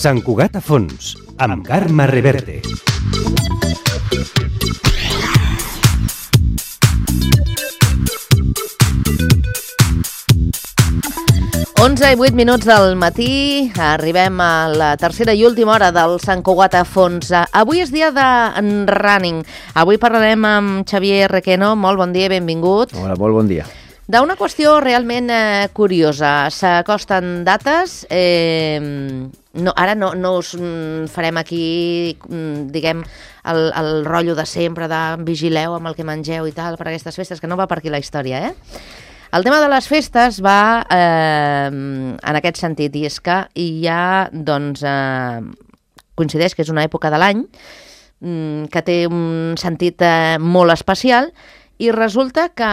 Sant Cugat a fons, amb Carme Reverte. Onze i 8 minuts del matí, arribem a la tercera i última hora del Sant Cugat a fons. Avui és dia de running. Avui parlarem amb Xavier Requeno. Molt bon dia, benvingut. Hola, molt bon dia. D'una qüestió realment curiosa. S'acosten dates. Ara no us farem aquí, diguem, el rotllo de sempre, de vigileu amb el que mengeu i tal per aquestes festes, que no va per aquí la història, El tema de les festes va en aquest sentit, i és que hi ha, doncs, coincideix que és una època de l'any que té un sentit molt especial, i resulta que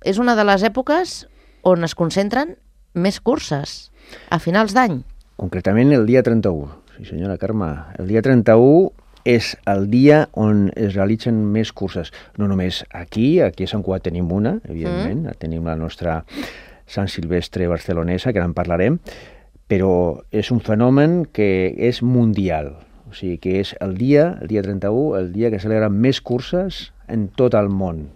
és una de les èpoques on es concentren més curses, a finals d'any. Concretament el dia 31, sí senyora Carme. El dia 31 és el dia on es realitzen més curses. No només aquí a Sant Cugat tenim una, evidentment, tenim la nostra Sant Silvestre barcelonesa, que ara en parlarem, però és un fenomen que és mundial. O sigui que és el dia 31, el dia que celebren més curses en tot el món.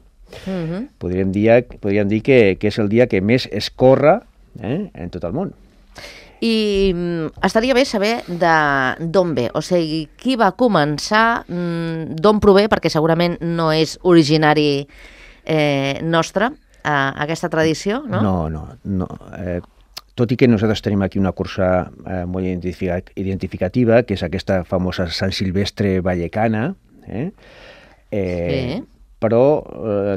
Podríem dir que és el dia que més es corre en tot el món. I estaria bé saber d'on ve, o sigui, qui va començar, d'on prové, perquè segurament no és originari nostre, aquesta tradició, no? No. Tot i que nosaltres tenim aquí una cursa molt identificativa, que és aquesta famosa Sant Silvestre vallecana, Sí. Però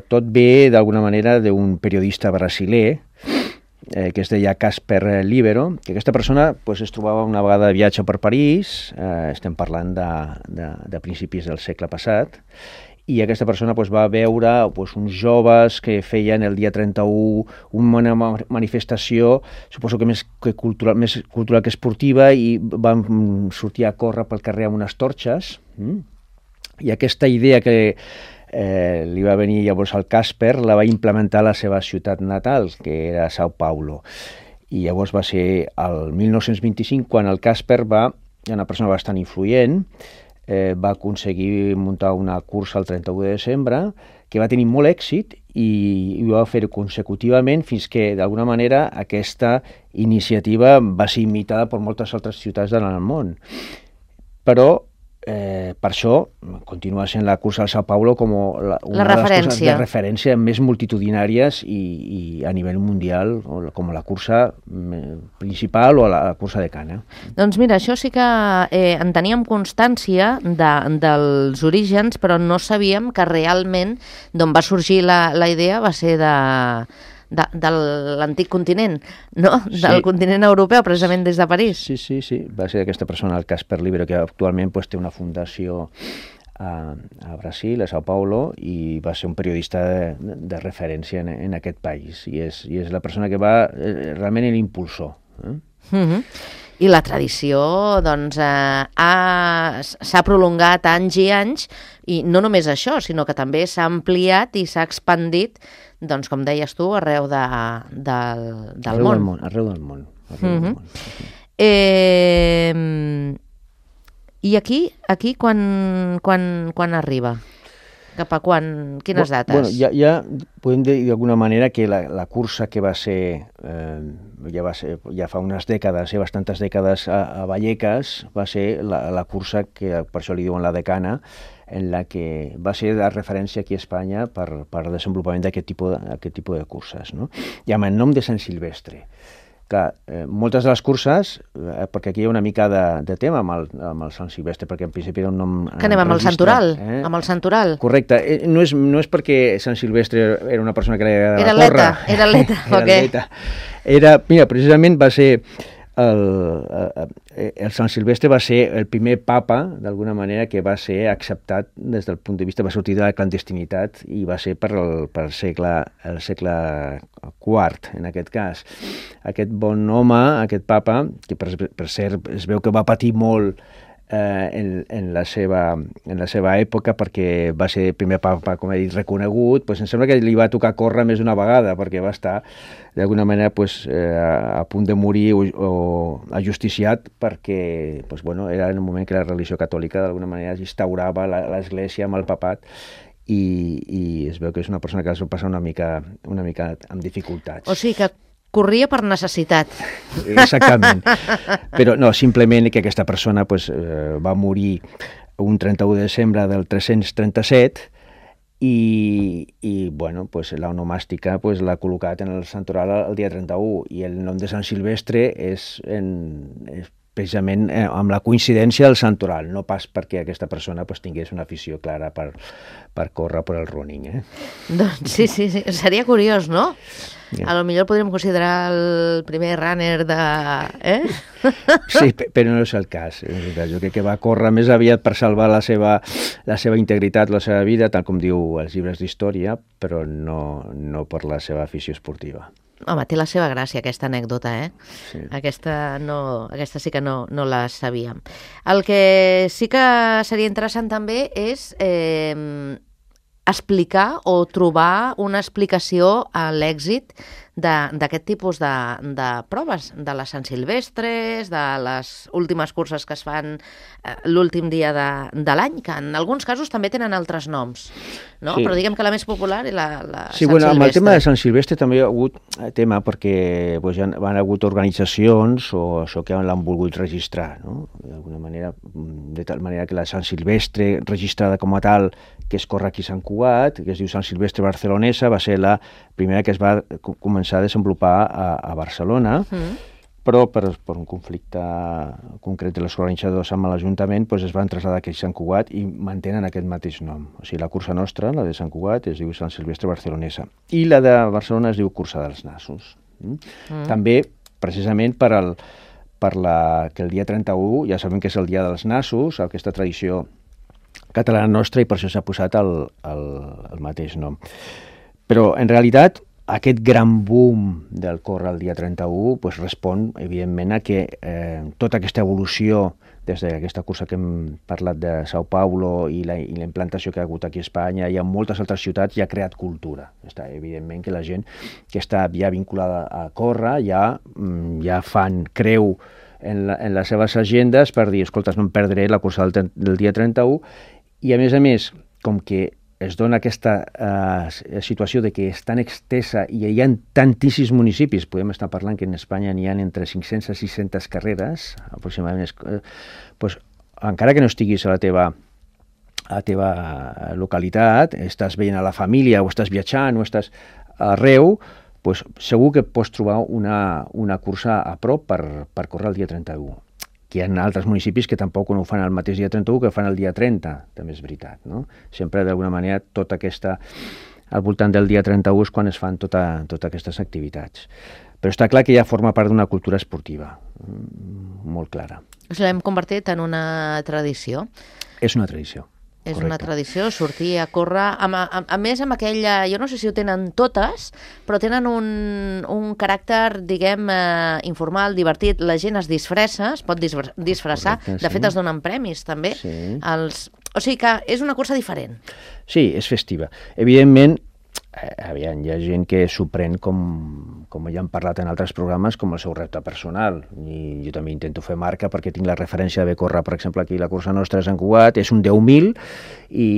tot ve d'alguna manera d'un periodista brasiler que es deia Casper Libero, que aquesta persona es trobava una vegada de viatge per París, estem parlant de principis del segle passat, i aquesta persona va veure uns joves que feien el dia 31 una manifestació, suposo que més cultural que esportiva, i van sortir a córrer pel carrer amb unes torxes, i aquesta idea que li va venir llavors al Casper la va implementar a la seva ciutat natal, que era Sao Paulo. I llavors va ser el 1925 quan el Casper una persona bastant influent, va aconseguir muntar una cursa el 31 de desembre que va tenir molt èxit i ho va fer consecutivament fins que, d'alguna manera, aquesta iniciativa va ser imitada per moltes altres ciutats del món. Però per això continua sent la cursa del Sao Paulo com una de les coses de referència més multitudinàries i a nivell mundial, com la cursa principal o la cursa de cana. Doncs mira, això sí que en teníem constància dels orígens, però no sabíem que realment d'on va sorgir la idea va ser de l'antic continent, no? Del continent europeu, precisament des de París. Sí. Va ser aquesta persona, el Casper Libero, que actualment té una fundació a Brasil, a Sao Paulo, i va ser un periodista de referència en aquest país. I és la persona que va realment l'impulsor. I la tradició, doncs, s'ha prolongat anys i anys, i no només això, sinó que també s'ha ampliat i s'ha expandit, doncs, com deies tu, arreu del món. Arreu del món. I aquí quan arriba? Cap a quan? Quines dates? Ja podem dir d'alguna manera que la cursa que va ser, ja fa unes dècades, bastantes dècades a Vallecas, va ser la cursa que per això li diuen la decana, en la que va ser de referència aquí a Espanya per al desenvolupament d'aquest tipus de curses, no? I amb el nom de Sant Silvestre. Clar, moltes de les curses, perquè aquí hi ha una mica de tema amb el Sant Silvestre, perquè en principi era un nom... Que anem amb el Santoral, amb el Santoral. Correcte, no és perquè Sant Silvestre era una persona que li agradava córrer. Era atleta. Mira, precisament va ser... El Sant Silvestre va ser el primer papa, d'alguna manera, que va ser acceptat des del punt de vista, va sortir de la clandestinitat i va ser per el segle IV, en aquest cas. Aquest bon home, aquest papa, que per cert es veu que va patir molt en la seva època, perquè va ser primer papa, com he dit, reconegut. Em sembla que li va tocar córrer més d'una vegada, perquè va estar d'alguna manera a punt de morir o ajusticiat, perquè era en un moment que la religió catòlica d'alguna manera instaurava l'Església amb el papat, i es veu que és una persona que es va passar una mica amb dificultats. O sigui que corria per necessitat. Exactament. Però no, simplement que aquesta persona va morir un 31 de desembre del 337 i l'onomàstica l'ha col·locat en el santoral el dia 31, i el nom de Sant Silvestre és precisament amb la coincidència del santoral, no pas perquè aquesta persona tingués una afició clara per córrer per el running. Doncs sí, seria curiós, no? A lo millor podríem considerar el primer runner de... Sí, però no és el cas. Jo crec que va córrer més aviat per salvar la seva integritat, la seva vida, tal com diu els llibres d'història, però no per la seva afició esportiva. Home, té la seva gràcia, aquesta anècdota, Sí. Aquesta sí que no la sabíem. El que sí que seria interessant també és explicar o trobar una explicació a l'èxit d'aquest tipus de proves, de les Sant Silvestres, de les últimes curses que es fan l'últim dia de l'any, que en alguns casos també tenen altres noms, no? Sí. Però diguem que la més popular és la Sí, Sant Silvestre. amb el tema de Sant Silvestre també hi ha hagut tema, perquè ja han hagut organitzacions o això que l'han volgut registrar, no? D'alguna manera, de tal manera que la Sant Silvestre registrada com a tal, que es corre aquí a Sant Cugat, que es diu Sant Silvestre Barcelonesa, va ser la primera que es va començar a desenvolupar a Barcelona, però per un conflicte concret de les organitzadors amb l'Ajuntament es van traslladar aquí a Sant Cugat i mantenen aquest mateix nom. O sigui, la cursa nostra, la de Sant Cugat, es diu Sant Silvestre Barcelonesa, i la de Barcelona es diu Cursa dels Nassos. També, precisament, que el dia 31, ja sabem que és el dia dels nassos, aquesta tradició catalana nostra, i per això s'ha posat el mateix nom. Però, en realitat, aquest gran boom del córrer el dia 31 respon, evidentment, a que tota aquesta evolució des d'aquesta cursa que hem parlat de Sao Paulo i la implantació que ha hagut aquí a Espanya i en moltes altres ciutats, ja ha creat cultura. Evidentment que la gent que està ja vinculada a córrer ja creu en les seves agendes per dir, escolta, no em perdré la cursa del dia 31, i a més, com que es dona aquesta situació de que és tan extensa i hi ha tantíssims municipis, podem estar parlant que en Espanya n'hi ha entre 500 i 600 carreres, aproximadament, encara que no estiguis a la teva localitat, estàs veient a la família, o estàs viatjant, o estàs arreu, segur que pots trobar una cursa a prop per córrer el dia 31. Hi ha altres municipis que tampoc no ho fan el mateix dia 31 que ho fan el dia 30, també és veritat, no? Sempre, d'alguna manera, al voltant del dia 31 és quan es fan totes aquestes activitats. Però està clar que ja forma part d'una cultura esportiva, molt clara. L'hem convertit en una tradició. És una tradició. És correcte. Una tradició, sortir a córrer, a més amb aquella, jo no sé si ho tenen totes, però tenen un caràcter, diguem, informal, divertit, la gent es disfressa, es pot disfressar, correcte, de fet es donen premis també, sí. O sigui que és una cursa diferent. Sí, és festiva. Evidentment, hi ha gent que s'ho pren com ja hem parlat en altres programes, com el seu repte personal, i jo també intento fer marca perquè tinc la referència d'haver córrer, per exemple, aquí la cursa nostra de Sant Cugat, és un 10.000 i,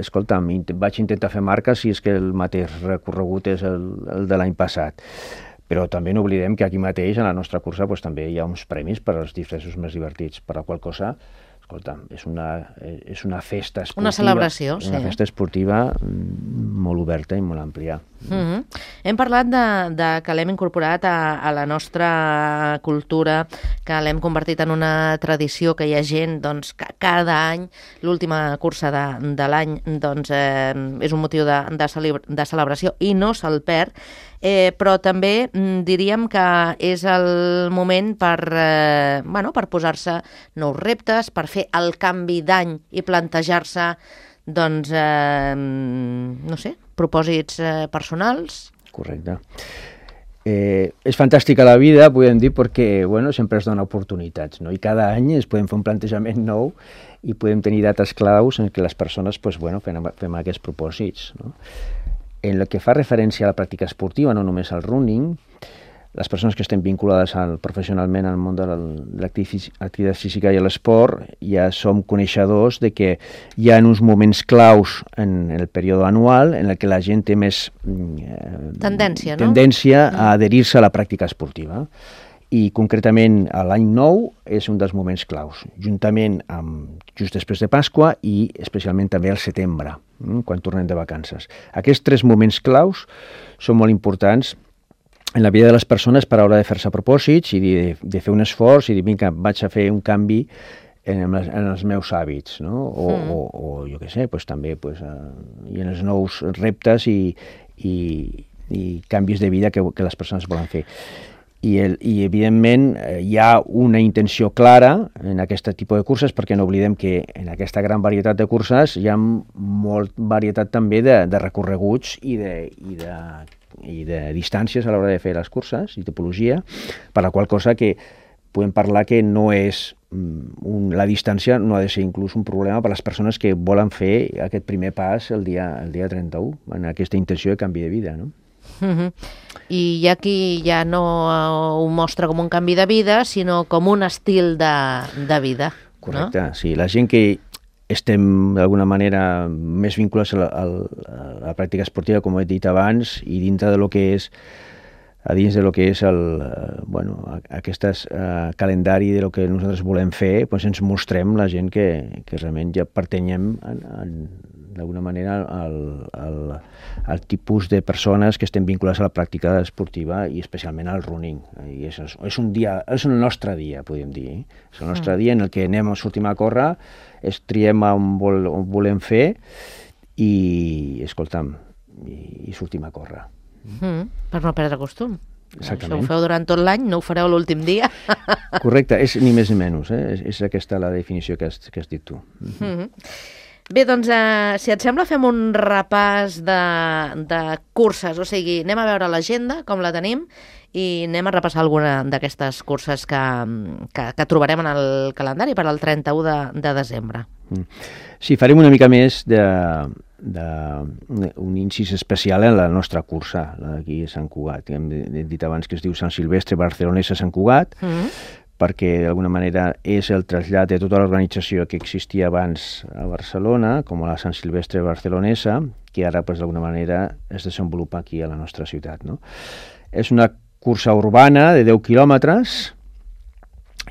escolta'm, vaig intentar fer marca si és que el mateix recorregut és el de l'any passat. Però també no oblidem que aquí mateix, a la nostra cursa, també hi ha uns premis per als disfressos més divertits, per la qual cosa, escolta, és una festa esportiva. Una celebració, sí. Una festa esportiva molt oberta i molt àmplia. Hem parlat que l'hem incorporat a la nostra cultura, que l'hem convertit en una tradició, que hi ha gent que cada any, l'última cursa de l'any, és un motiu de celebració i no se'l perd, però també diríem que és el moment per posar-se nous reptes, per fer el canvi d'any i plantejar-se, no sé, propòsits personals. Correcte. És fantàstica la vida, podem dir, perquè sempre es dona oportunitats, no? I cada any es podem fer un plantejament nou i podem tenir dates claus en què les persones fem aquests propòsits, no? En el que fa referència a la pràctica esportiva, no només al running, les persones que estem vinculades professionalment al món de l'activitat física i l'esport ja som coneixedors de que hi ha uns moments claus en el període anual en el que la gent té més tendència a adherir-se a la pràctica esportiva. I concretament l'any nou és un dels moments claus, juntament amb just després de Pasqua i especialment també al setembre, quan tornem de vacances. Aquests 3 moments claus són molt importants en la vida de les persones per a l'hora de fer-se propòsits i de fer un esforç i dir, vinga, vaig a fer un canvi en els meus hàbits, no? O jo què sé, també i en els nous reptes i canvis de vida que les persones volen fer. I evidentment hi ha una intenció clara en aquest tipus de curses, perquè no oblidem que en aquesta gran varietat de curses hi ha molt varietat també de recorreguts i de distàncies a l'hora de fer les curses i tipologia, per la qual cosa que podem parlar que no és la distància no ha de ser inclús un problema per a les persones que volen fer aquest primer pas el dia 31, en aquesta intenció de canvi de vida, no? I hi ha qui ja no ho mostra com un canvi de vida, sinó com un estil de vida. Correcte, no? Sí. La gent que estem d'alguna manera més vinculats a la pràctica esportiva, com he dit abans, i dintre de lo que és aquest calendari de lo que nosaltres volem fer, ens mostrem la gent que realment ja pertanyem d'alguna manera al tipus de persones que estem vinculades a la pràctica esportiva i especialment al running. I és el nostre dia, podríem dir. És el nostre dia en el que sortim a córrer, triem on volem fer i, escolta'm, i sortim a córrer. Per no perdre costum. Exactament. Això ho feu durant tot l'any, no ho fareu l'últim dia. Correcte, és ni més ni menys, és aquesta la definició que has dit tu. Bé, doncs, si et sembla, fem un repàs de curses, o sigui, anem a veure l'agenda, com la tenim, i anem a repassar alguna d'aquestes curses que trobarem en el calendari per al 31 de desembre. Sí, farem una mica més un incís especial en la nostra cursa, aquí a Sant Cugat. Hem dit abans que es diu Sant Silvestre Barcelonesa Sant Cugat, perquè d'alguna manera és el trasllat de tota l'organització que existia abans a Barcelona, com la Sant Silvestre Barcelonesa, que ara d'alguna manera es desenvolupa aquí a la nostra ciutat, no? És una cursa urbana de 10 quilòmetres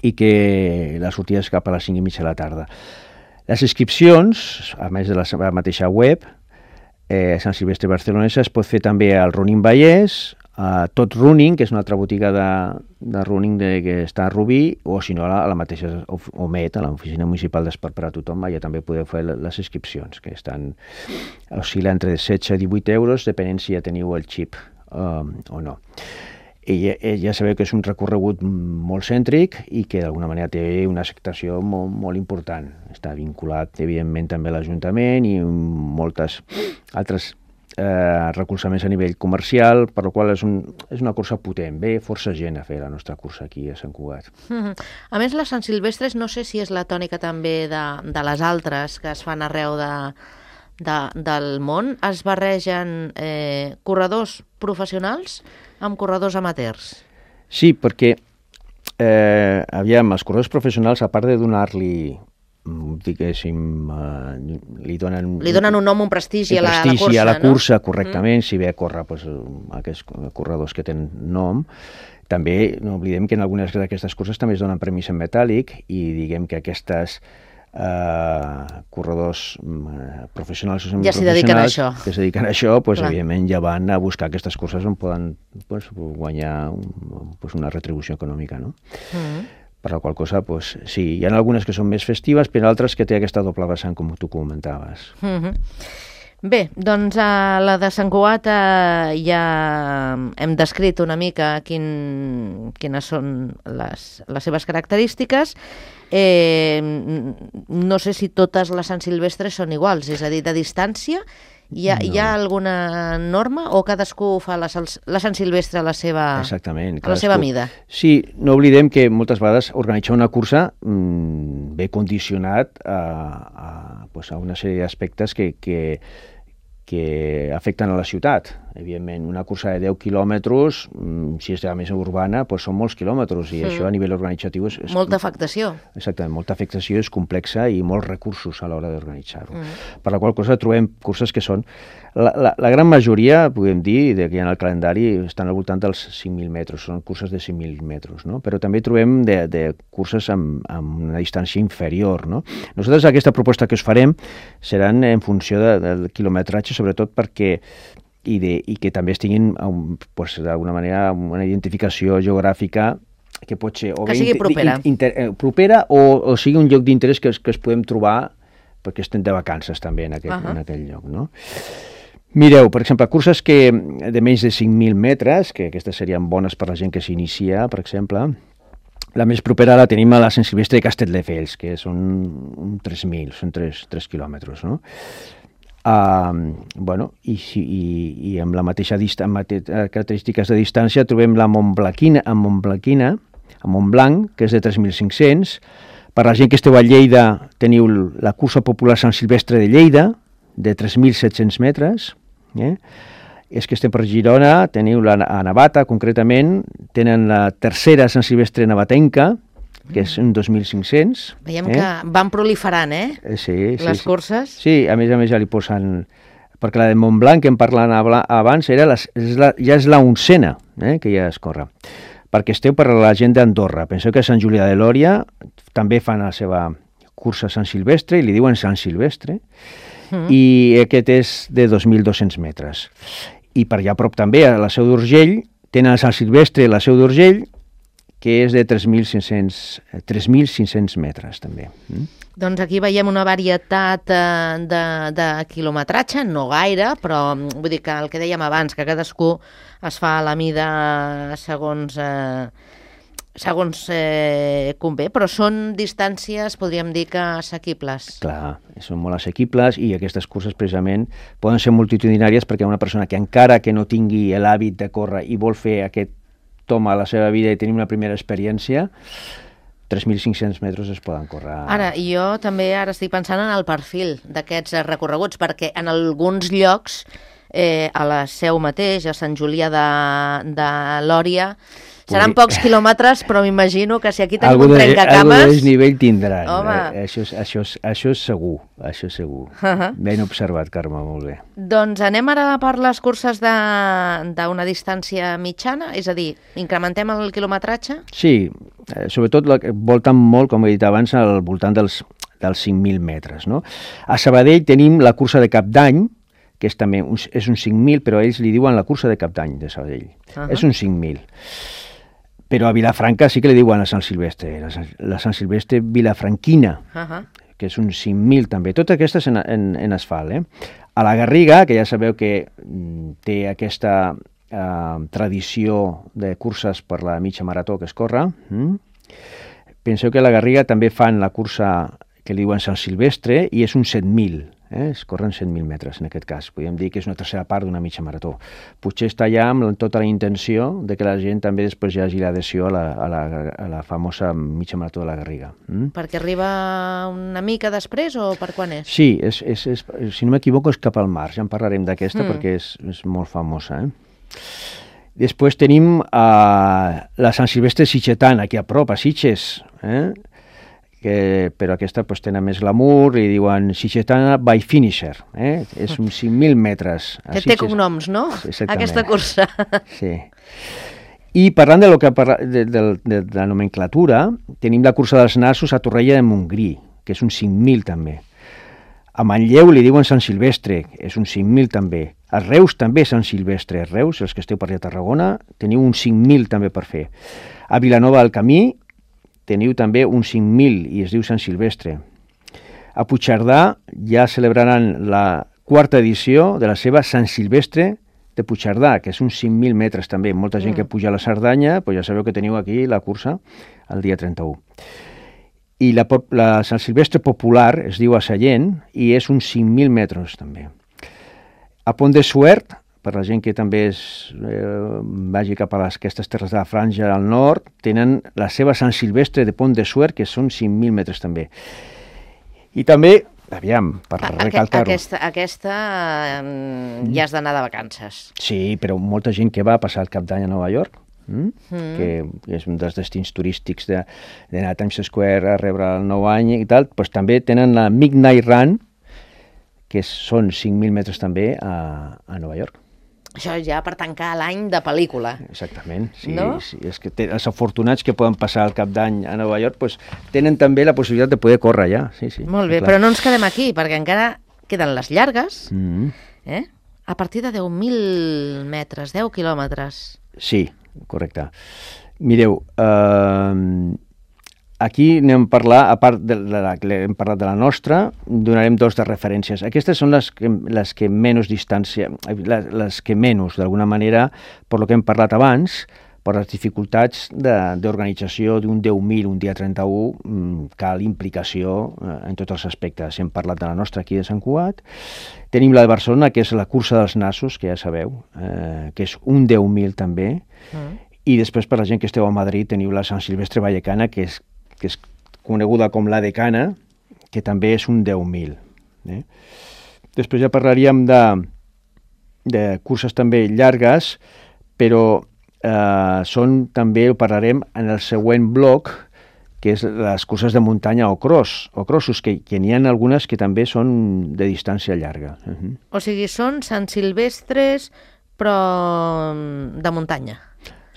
i que la sortida és cap a les 5:30 de la tarda. Les inscripcions, a més de la mateixa web, Sant Silvestre Barcelonesa, es pot fer també al Running Vallès, a Tot Running, que és una altra botiga de running que està a Rubí, o si no a la mateixa OMET, a l'Oficina Municipal d'Esport per a Tothom, allà també podeu fer les inscripcions, que oscil·len entre 16 i 18 euros, depenent si ja teniu el xip o no. I ja sabeu que és un recorregut molt cèntric i que d'alguna manera té una acceptació molt important. Està vinculat, evidentment, també a l'Ajuntament i moltes altres recolzaments a nivell comercial, per la qual és una cursa potent. Ve força gent a fer la nostra cursa aquí a Sant Cugat. A més, les Sant Silvestres no sé si és la tònica també de les altres que es fan arreu del món. Es barregen corredors professionals amb corredors amateurs. Sí, perquè els corredors professionals, a part de donar-li diguéssim, li donen un nom, un prestigi a la cursa, a la cursa, correctament, si ve a córrer aquests corredors que tenen nom. També no oblidem que en algunes d'aquestes curses també es donen premis en metàl·lic i diguem que aquestes corredors professionals o ja s'hi dediquen a això. Que s'hi dediquen a això, evidentment ja van a buscar aquestes curses on poden guanyar una retribució econòmica, no? Per la qual cosa, sí, hi ha algunes que són més festives, però altres que té aquesta doble vessant, com tu comentaves. Bé, doncs a la de Sant Cugat ja hem descrit una mica quines són les seves característiques. No sé si totes les Sant Silvestres són iguals, és a dir, de distància Hi ha alguna norma o cadascú fa la Sant Silvestre a la seva, Exactament, a la seva mida? Sí, no oblidem que moltes vegades organitzar una cursa ve condicionat a una sèrie d'aspectes que afecten a la ciutat. Evidentment, una cursa de 10 quilòmetres, si és més urbana, són molts quilòmetres, i això a nivell organitzatiu és... Molta afectació. Exactament, molta afectació, és complexa i molts recursos a l'hora d'organitzar-ho. Per la qual cosa trobem curses que són... La gran majoria, podem dir, que hi ha en el calendari, estan al voltant dels 5.000 metres, són curses de 5.000 metres, no? Però també trobem de curses amb una distància inferior, no? Nosaltres aquesta proposta que us farem seran en funció del quilometratge, sobretot perquè i que també tinguin d'alguna manera una identificació geogràfica que pot ser que sigui propera, propera o sigui un lloc d'interès que es podem trobar perquè estem de vacances també en aquell lloc, no? Mireu, per exemple, curses de menys de 5.000 metres, que aquestes serien bones per la gent que s'inicia, per exemple. La més propera la tenim a la Sant Silvestre de Castelldefels, que són 3.000, són 3 quilòmetres, no? I amb la mateixa característiques de distància trobem la Montblanquina, a Montblanc, que és de 3.500. Per la gent que esteu a Lleida teniu la cursa popular Sant Silvestre de Lleida, de 3.700 metres. És que estem per Girona, teniu a Navata, concretament, tenen la tercera Sant Silvestre navatenca, que és un 2.500. Veiem que van proliferant, les curses. Sí, a més ja li posen... Perquè la de Montblanc, que em parlant abans, ja és la 11ª que ja es corre. Perquè esteu per la gent d'Andorra. Penseu que a Sant Julià de Lòria també fan la seva cursa Sant Silvestre, i li diuen Sant Silvestre, i aquest és de 2.200 metres. I per allà a prop també, a la Seu d'Urgell, tenen el Sant Silvestre i la Seu d'Urgell, que és de 3.500 metres, també. Doncs aquí veiem una varietat de quilometratge, no gaire, però vull dir que el que dèiem abans, que cadascú es fa a la mida segons convé, però són distàncies, podríem dir que assequibles. Clar, són molt assequibles, i aquestes curses precisament poden ser multitudinàries perquè una persona que encara que no tingui l'hàbit de córrer i vol fer aquest toma a la seva vida i tenir una primera experiència, 3.500 metres es poden córrer. Ara, jo també estic pensant en el perfil d'aquests recorreguts, perquè en alguns llocs, a la Seu mateix, a Sant Julià de Lòria, seran pocs quilòmetres, però m'imagino que si aquí tenim un trencacames... Algun desnivell tindran. Això és segur, això és segur. Ben observat, Carme, molt bé. Doncs anem ara per les curses d'una distància mitjana, és a dir, incrementem el quilometratge? Sí, sobretot volten molt, com he dit abans, al voltant dels 5.000 metres, no? A Sabadell tenim la cursa de Cap d'Any, que és també un 5.000, però ells li diuen la cursa de Cap d'Any de Sabadell. És un 5.000. Però a Vilafranca sí que li diuen la Sant Silvestre, la Sant Silvestre vilafranquina, que és un 5.000 també. Totes aquestes en asfalt. A la Garriga, que ja sabeu que té aquesta tradició de curses per la mitja marató que es corre, penseu que a la Garriga també fan la cursa que li diuen Sant Silvestre, i és un 7.000. Es corren 100.000 metres, en aquest cas. Podríem dir que és una tercera part d'una mitja marató. Potser està ja amb tota la intenció de que la gent també després hi hagi l'adhesió a la famosa mitja marató de la Garriga. Perquè arriba una mica després o per quan és? Sí, si no m'equivoco és cap al març. Ja en parlarem d'aquesta perquè és molt famosa. Després tenim la Sant Silvestre Sitgetana, aquí a prop, a Sitges, però aquesta tenen més glamour, i diuen Sitgetana by Finisher, és uns 5.000 metres. Que té cognoms, no? Exactament. Aquesta cursa. Sí. I parlant de la nomenclatura, tenim la cursa dels nassos a Torrella de Montgrí, que és un 5.000 també. A Manlleu li diuen Sant Silvestre, és un 5.000 també. A Reus també Sant Silvestre. A Reus, els que esteu per allà a Tarragona, teniu un 5.000 també per fer. A Vilanova del Camí teniu també un 5.000 i es diu Sant Silvestre. A Puigcerdà ja celebraran la 4ª edició de la seva Sant Silvestre de Puigcerdà, que és uns 5.000 metres també. Molta gent que puja a la Cerdanya, ja sabeu que teniu aquí la cursa el dia 31. I la Sant Silvestre Popular es diu a Sallent i és uns 5.000 metres també. A Pont de Suert, per la gent que també vagi cap a aquestes terres de la Franja al nord, tenen la seva Sant Silvestre de Pont de Suert, que són 5.000 metres també. I també, aviam, per recalcar-ho... Aquesta ja has d'anar de vacances. Sí, però molta gent que va a passar el Cap d'Any a Nova York, que és un dels destins turístics d'anar a Times Square a rebre el nou any i tal, doncs també tenen la Midnight Run, que són 5.000 metres també a Nova York. Això ja per tancar l'any de pel·lícula. Exactament, sí. No? Sí. És que els afortunats que poden passar el Cap d'Any a Nova York pues, tenen també la possibilitat de poder córrer allà. Sí, sí, molt bé, clar. Però no ens quedem aquí, perquè encara queden les llargues, a partir de 10.000 metres, 10 quilòmetres. Sí, correcte. Mireu, aquí anem a parlar, a part hem parlat de la nostra, donarem dos de referències. Aquestes són les que menys distància, les que menys, d'alguna manera, per lo que hem parlat abans, per les dificultats d'organització d'un 10.000, un dia 31, cal implicació en tots els aspectes. Hem parlat de la nostra aquí de Sant Cugat. Tenim la de Barcelona, que és la cursa dels nassos, que ja sabeu, que és un 10.000 també. I després, per la gent que esteu a Madrid, teniu la Sant Silvestre Vallecana, que és coneguda com la Decana, que també és un 10.000. Després ja parlaríem de curses també llargues, però també ho parlarem en el següent bloc, que és les curses de muntanya o crossos, que n'hi ha algunes que també són de distància llarga. O sigui, són Sant Silvestres, però de muntanya.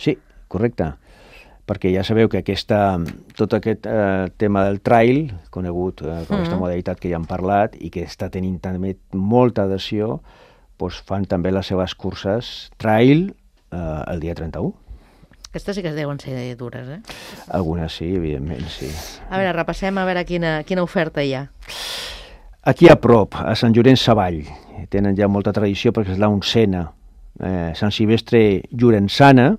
Sí, correcte. Perquè ja sabeu que tot aquest tema del trail, conegut com aquesta modalitat que ja hem parlat i que està tenint també molta adhesió, doncs fan també les seves curses trail el dia 31. Aquestes sí que es deuen ser dures, Algunes sí, evidentment, sí. A veure, repassem a veure quina oferta hi ha. Aquí a prop, a Sant Llorenç Savall, tenen ja molta tradició perquè és la 11a Sant Silvestre Llorençana,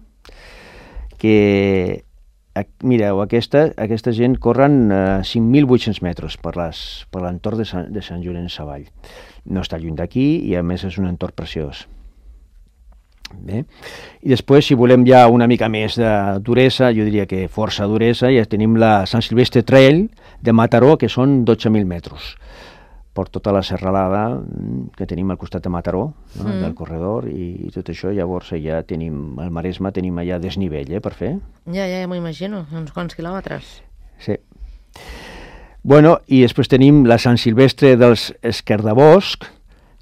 que, mireu, aquesta gent corren 5.800 metres per l'entorn de Sant Llorenç Savall. No està lluny d'aquí i a més és un entorn preciós. Bé. I després, si volem ja una mica més de duresa, jo diria que força duresa, ja tenim la Sant Silvestre Trail de Mataró, que són 12.000 metres. Per tota la serralada que tenim al costat de Mataró, del corredor, i tot això, llavors ja tenim, al Maresme tenim allà desnivell, per fer. Ja m'ho imagino, uns quants quilòmetres. Sí. Bueno, i després tenim la Sant Silvestre dels Esquerdabosc,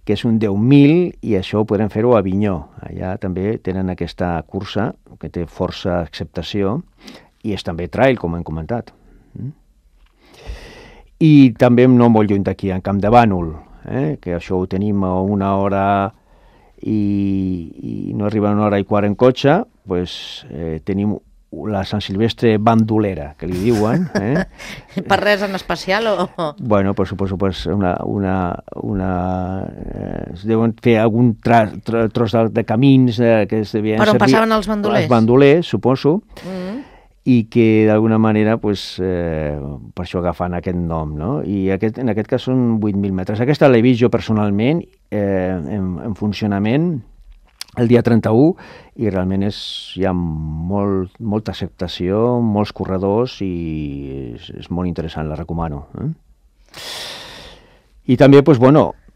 que és un 10.000, i això ho podem fer-ho a Avinyó. Allà també tenen aquesta cursa, que té força acceptació, i és també trail, com hem comentat. I també no molt lluny d'aquí, en Camp de Bànol, que això ho tenim a 1 hora i no arriba a 1 hora i quart en cotxe, doncs tenim la Sant Silvestre bandolera, que li diuen. Per res en especial o...? Bueno, per suposo, pues es deuen fer algun tros de camins que es devien per on servir... passaven els bandolers? Els bandolers, suposo. I que d'alguna manera pues, per això agafen aquest nom, no? I en aquest cas són 8.000 metres. Aquesta l'he vist jo personalment en funcionament el dia 31 i realment hi ha molta acceptació, molts corredors i és molt interessant, la recomano. I també, pues,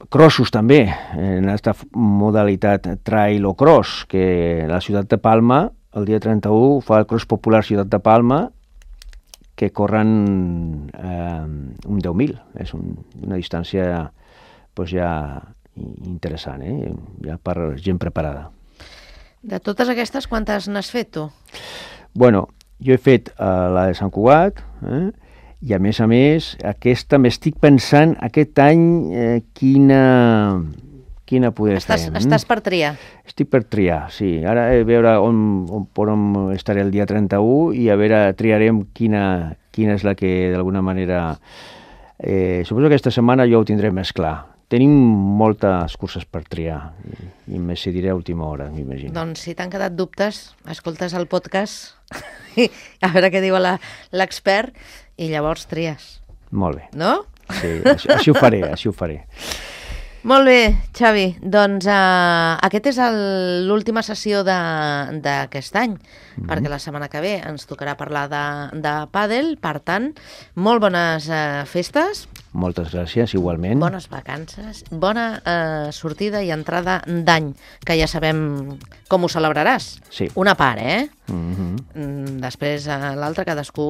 crossos també, en aquesta modalitat trail o cross, que la ciutat de Palma el dia 31 fa el cross popular Ciutat de Palma, que corren un 10.000. És una distància pues, ja interessant, ja per gent preparada. De totes aquestes, quantes n'has fet tu? Bueno, jo he fet la de Sant Cugat, i a més, aquesta m'estic pensant aquest any quina poder fer. Estàs per triar? Estic per triar, sí. Ara a veure on estaré el dia 31 i a veure, triarem quina és la que d'alguna manera... Suposo que aquesta setmana jo ho tindré més clar. Tenim moltes curses per triar i em decidiré a última hora, m'imagino. Doncs si t'han quedat dubtes, escoltes el podcast a veure què diu l'expert i llavors tries. Molt bé. No? Sí, així ho faré. Molt bé, Xavi. Doncs aquest és l'última sessió d'aquest any, perquè la setmana que ve ens tocarà parlar de pàdel. Per tant, molt bones festes. Moltes gràcies, igualment. Bones vacances, bona sortida i entrada d'any, que ja sabem com ho celebraràs. Sí. Una part, Després l'altra cadascú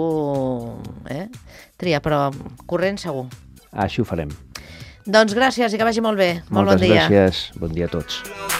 tria, però corrent segur. Així ho farem. Doncs gràcies i que vagi molt bé. Molt Moltes bon dia. gràcies. Bon dia a tots.